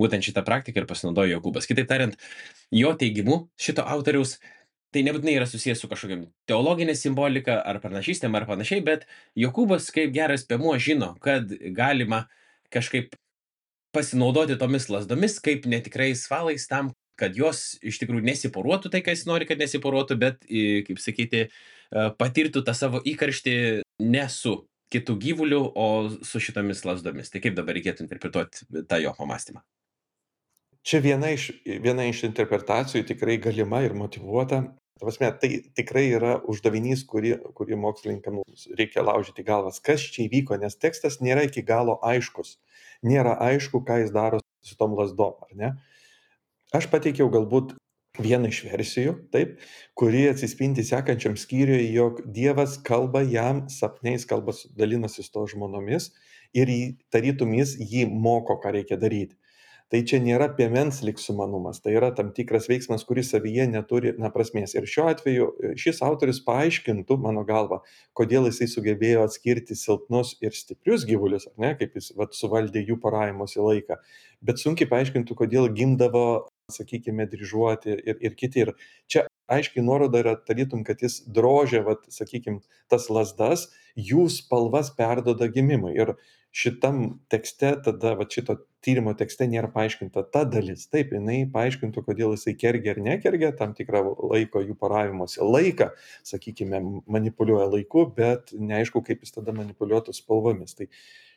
Būtent šitą praktiką ir pasinaudojo Jokūbas. Kitaip tariant, jo teigimu, šito autoriaus, tai nebūtinai yra susijęs su kažkokia teologinė simbolika ar pranašystėm ar panašiai, bet Jokūbas kaip geras piemuo žino, kad galima kažkaip pasinaudoti tomis lazdomis kaip netikrais falais tam, kad jos iš tikrųjų nesiporuotų tai, kas nori, kad nesiporuotų, bet, kaip sakyti, patirtų tą savo įkarštį ne su kitų gyvulių, o su šitomis lazdomis. Tai kaip dabar reikėtų interpretuoti tą jo pamastymą? Čia viena iš interpretacijų tikrai galima ir motyvuota. Ta prasme, tai tikrai yra uždavinys, kurį mokslininkams reikia laužyti galvas. Kas čia įvyko, nes tekstas nėra iki galo aiškus. Nėra aišku, ką jis daro su tom lasdom, ar ne? Aš pateikiau galbūt vieną iš versijų, taip, kuri atsispindi sekančiam skyriui, jog Dievas kalba jam sapnais, dalinasi su to žmonomis ir tarytum jis jį moko, ką reikia daryti. Tai čia nėra piemens lyg sumanumas, tai yra tam tikras veiksmas, kuris savyje neturi prasmės. Ir šiuo atveju šis autorius paaiškintų, mano galva, kodėl jisai sugebėjo atskirti silpnus ir stiprius gyvulius, ar ne, kaip jis suvaldė jų poravimosi laiką, bet sunkiai paaiškintų, kodėl gimdavo, sakykime, dryžuoti ir kiti. Ir čia aiškiai nuoroda yra tarytum, kad jis drožia, sakykime, tas lasdas, jų spalvas perdoda gimimui. Ir šitam tekste, tada šito tyrimo tekste nėra paaiškinta ta dalis. Taip, jinai paaiškintų, kodėl jisai kergia ar nekergia tam tikrą laiko jų poravimosi laiką, sakykime, manipuliuoja laiku, bet neaišku, kaip jis tada manipuliuotų spalvomis. Tai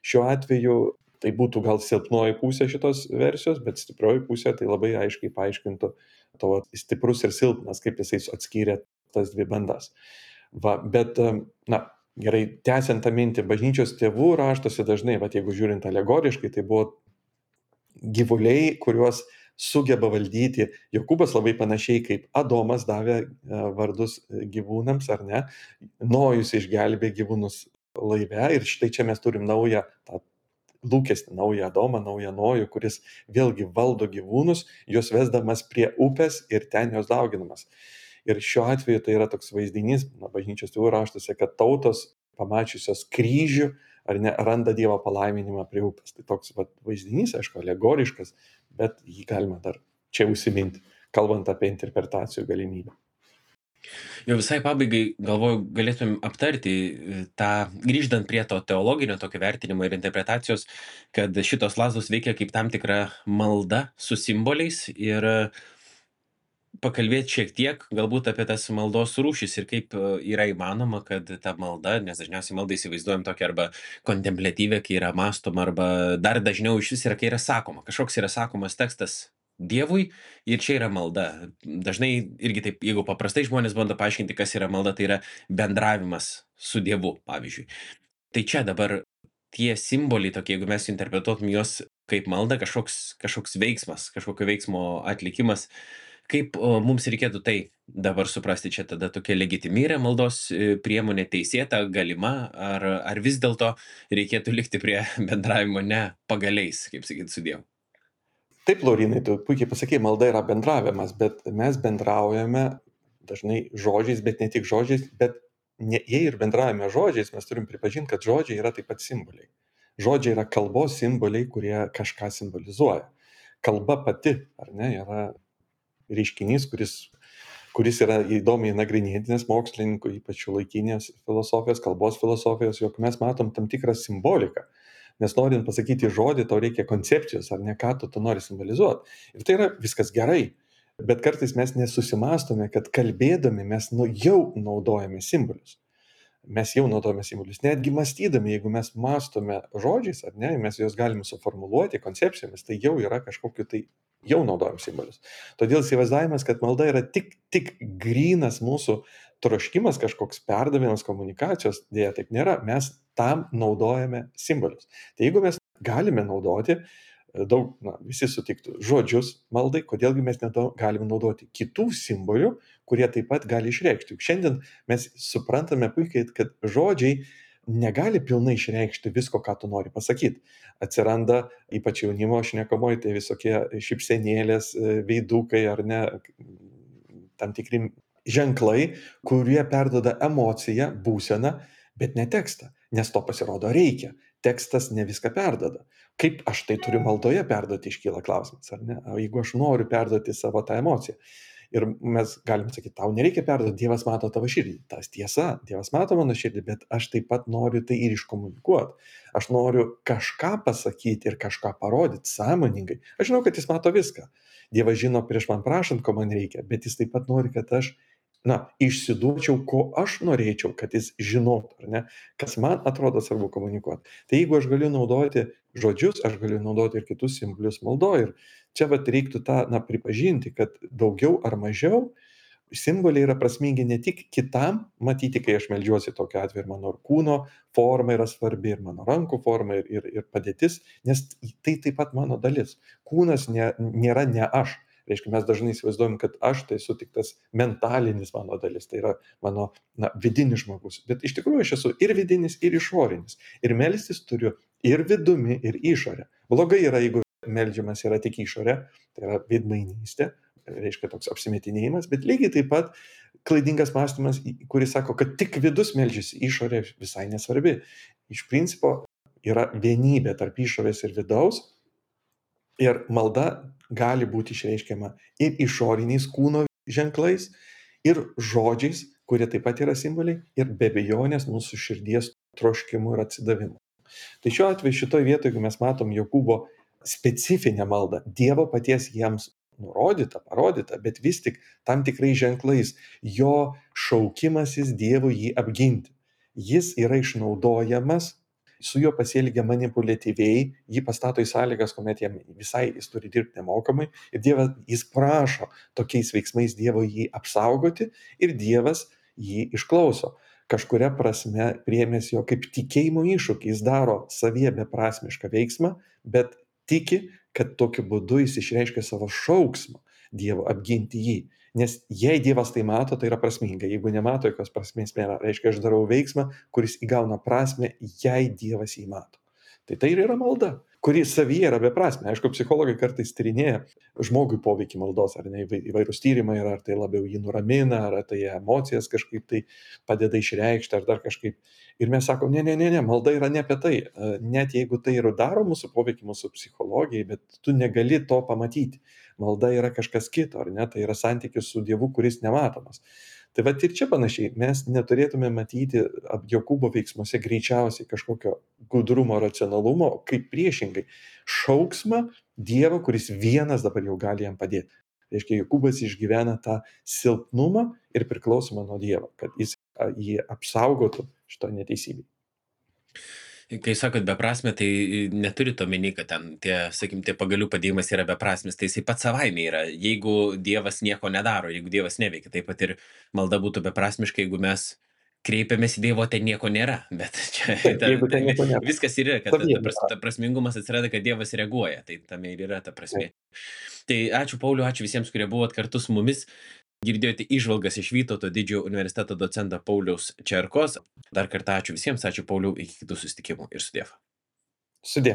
šiuo atveju tai būtų gal silpnoji pusė šitos versijos, bet stiprioji pusė tai labai aiškiai paaiškintų to stiprus ir silpnas, kaip jisai atskyrė tas dvi bandas. Bet, gerai, tęsiant tą mintį, bažnyčios tėvų raštuose dažnai, jeigu žiūrint alegoriškai, tai buvo gyvuliai, kuriuos sugeba valdyti. Jokūbas labai panašiai kaip Adomas davė vardus gyvūnams, ar ne? Nojus išgelbė gyvūnus laive ir štai čia mes turim naują tą lūkestį, naują Adomą, naują Nojų, kuris vėlgi valdo gyvūnus, juos vesdamas prie upės ir ten jos dauginamas. Ir šiuo atveju tai yra toks vaizdinys, bažnyčios tėvų raštuose, kad tautos pamačiusios kryžių, ar ne, randa Dievo palaiminimą prie upės. Tai toks vaizdinys, aišku, alegoriškas, bet jį galima dar čia užsiminti, kalbant apie interpretacijų galimybę. Jau visai pabaigai, galvoju, galėtum aptarti tą, grįžtant prie to teologinio tokio vertinimo ir interpretacijos, kad šitos lazdos veikia kaip tam tikra malda su simboliais ir pakalbėti šiek tiek galbūt apie tas maldos rūšis ir kaip yra įmanoma, kad ta malda, nes dažniausiai maldą įsivaizduojam tokią arba kontempliatyvę, kai yra mąstoma, arba dar dažniau iš vis yra, kai yra sakoma. Kažkoks yra sakomas tekstas Dievui ir čia yra malda. Dažnai irgi taip, jeigu paprastai žmonės bando paaiškinti, kas yra malda, tai yra bendravimas su Dievu, pavyzdžiui. Tai čia dabar tie simboliai tokie, jeigu mes interpretuotum juos kaip malda, kažkoks veiksmas, kažkokio veiksmo atlikimas, kaip mums reikėtų tai dabar suprasti, čia tada tokia legitimi yra maldos priemonė, teisėta, galima, ar vis dėlto reikėtų likti prie bendravimo ne pagaliais, kaip sakyti, su Dievu? Taip, Laurinai, tu puikiai pasakėjai, malda yra bendravimas, bet mes bendraujame dažnai žodžiais, bet ne tik žodžiais, bet jei ir bendraujame žodžiais, mes turim pripažinti, kad žodžiai yra taip pat simboliai. Žodžiai yra kalbos simboliai, kurie kažką simbolizuoja. Kalba pati, ar ne, yra reiškinys, kuris yra įdomiai nagrinėtinas mokslininkų, ypač šiuolaikinės filosofijos, kalbos filosofijos, jog mes matom tam tikrą simboliką. Nes norint pasakyti žodį, tau reikia koncepcijos, ar ne, ką tu nori simbolizuoti. Ir tai yra viskas gerai. Bet kartais mes nesusimastome, kad kalbėdami mes jau naudojame simbolius. Mes jau naudojame simbolius. Netgi mąstydami, jeigu mes mąstome žodžiais, ar ne, mes juos galime suformuluoti koncepcijomis, tai jau yra kažkokiu tai, jau naudojam simbolius. Todėl įsivaizdavimas, kad malda yra tik grynas mūsų troškimas, kažkoks perdavimas komunikacijos, dėja taip nėra, mes tam naudojame simbolius. Tai jeigu mes galime naudoti daug, visi sutiktų, žodžius maldai, kodėlgi mes galime naudoti kitų simbolių, kurie taip pat gali išreikšti. Juk šiandien mes suprantame puikiai, kad žodžiai negali pilnai išreikšti visko, ką tu nori pasakyti. Atsiranda, ypač jaunimo šnekamoji, tai visokie šypsenėlės, veidukai ar ne, tam tikri ženklai, kurie perduoda emociją, būseną, bet ne tekstą, nes to pasirodo reikia. Tekstas ne viską perduoda. Kaip aš tai turiu maldoje perduoti, iškyla klausimas, ar ne? O jeigu aš noriu perduoti savo tą emociją. Ir mes galim sakyti, tau nereikia perduoti, Dievas mato tavo širdį. Tas tiesa, Dievas mato mano širdį, bet aš taip pat noriu tai ir iškomunikuoti. Aš noriu kažką pasakyti ir kažką parodyti sąmoningai. Aš žinau, kad jis mato viską. Dievas žino prieš man prašant, ko man reikia, bet jis taip pat nori, kad aš išsiduočiau, ko aš norėčiau, kad jis žinotų, ar ne, kas man atrodo svarbu komunikuoti. Tai jeigu aš galiu naudoti žodžius, aš galiu naudoti ir kitus simbolius maldoje. Ir čia reiktų tą pripažinti, kad daugiau ar mažiau simboliai yra prasmingi ne tik kitam matyti, kai aš meldžiuosi tokiu atveju, ir mano kūno forma yra svarbi, ir mano rankų forma, ir padėtis, nes tai taip pat mano dalis. Kūnas nėra ne aš. Reiškia, mes dažnai įsivaizduojam, kad aš tai esu tik tas mentalinis mano dalis, tai yra mano vidinis žmogus. Bet iš tikrųjų aš esu ir vidinis, ir išorinis. Ir melstis turiu ir vidumi, ir išorė. Blogai yra, jeigu meldžiamas yra tik išorė, tai yra veidmainystė, reiškia toks apsimetinėjimas, bet lygiai taip pat klaidingas mąstymas, kuris sako, kad tik vidus meldžiasi, išorė visai nesvarbi. Iš principo yra vienybė tarp išorės ir vidaus, ir malda gali būti išreiškiama ir išoriniais kūno ženklais, ir žodžiais, kurie taip pat yra simboliai, ir be abejonės mūsų širdies troškimu ir atsidavimu. Tai šiuo atveju šitoje vietoje, jeigu mes matom Jokūbo specifinę maldą, Dievo paties jiems nurodyta, parodyta, bet vis tik tam tikrais ženklais, jo šaukimasis Dievui jį apginti. Jis yra išnaudojamas, su juo pasielgia manipuliatyviai, jį pastato į sąlygas, kuomet jis turi dirbti nemokamai, ir Dievas, jis prašo tokiais veiksmais Dievo jį apsaugoti, ir Dievas jį išklauso. Kažkuria prasme priėmęs jo kaip tikėjimo iššūkį, jis daro savyje beprasmišką veiksmą, bet tiki, kad tokiu būdu jis išreiškia savo šauksmą Dievo apginti jį. Nes jei Dievas tai mato, tai yra prasminga. Jeigu nemato, jokios prasmės nėra. Reiškia, aš darau veiksmą, kuris įgauna prasmę, jei Dievas jį mato. Tai ir yra malda, kuri savyje yra beprasmė. Aišku, psichologai kartais tyrinėja žmogui poveikį maldos, ar ne, įvairūs tyrimai yra, ar tai labiau jį nuramina, ar tai emocijas kažkaip tai padeda išreikšti, ar dar kažkaip. Ir mes sakom, ne, malda yra ne apie tai. Net jeigu tai ir daro mūsų poveikį mūsų psichologijai, bet tu negali to pamatyti. Malda yra kažkas kito, ar ne? Tai yra santykis su Dievu, kuris nematomas. Tai va ir čia panašiai, mes neturėtume matyti Jokūbo veiksmuose greičiausiai kažkokio gudrumo, racionalumo, kaip priešingai šauksmą Dievo, kuris vienas dabar jau gali jam padėti. Reiškia, Jokūbas išgyvena tą silpnumą ir priklausomą nuo Dievo, kad jis jį apsaugotų šito neteisybei. Kai sakot beprasmė, tai neturit omeny, kad ten tie pagalių padėjimas yra beprasmis, tai jisai pats savaime yra. Jeigu Dievas nieko nedaro, jeigu Dievas neveikia, taip pat ir malda būtų beprasmiška, jeigu mes kreipiamės į Dievo, ten nieko nėra. Bet čia Taip, jeigu ten nieko nėra. viskas yra, kad Savyje ta prasmingumas atsiranda, kad Dievas reaguoja. Tai tame ir yra ta prasmė. Tai ačiū Pauliau, ačiū visiems, kurie buvot kartu su mumis. Girdėjote įžvalgas iš Vytauto didžiojo universiteto docento Pauliaus Čerkos. Dar kartą ačiū visiems, ačiū Pauliau, iki kitų susitikimų ir sudiev. Sudie.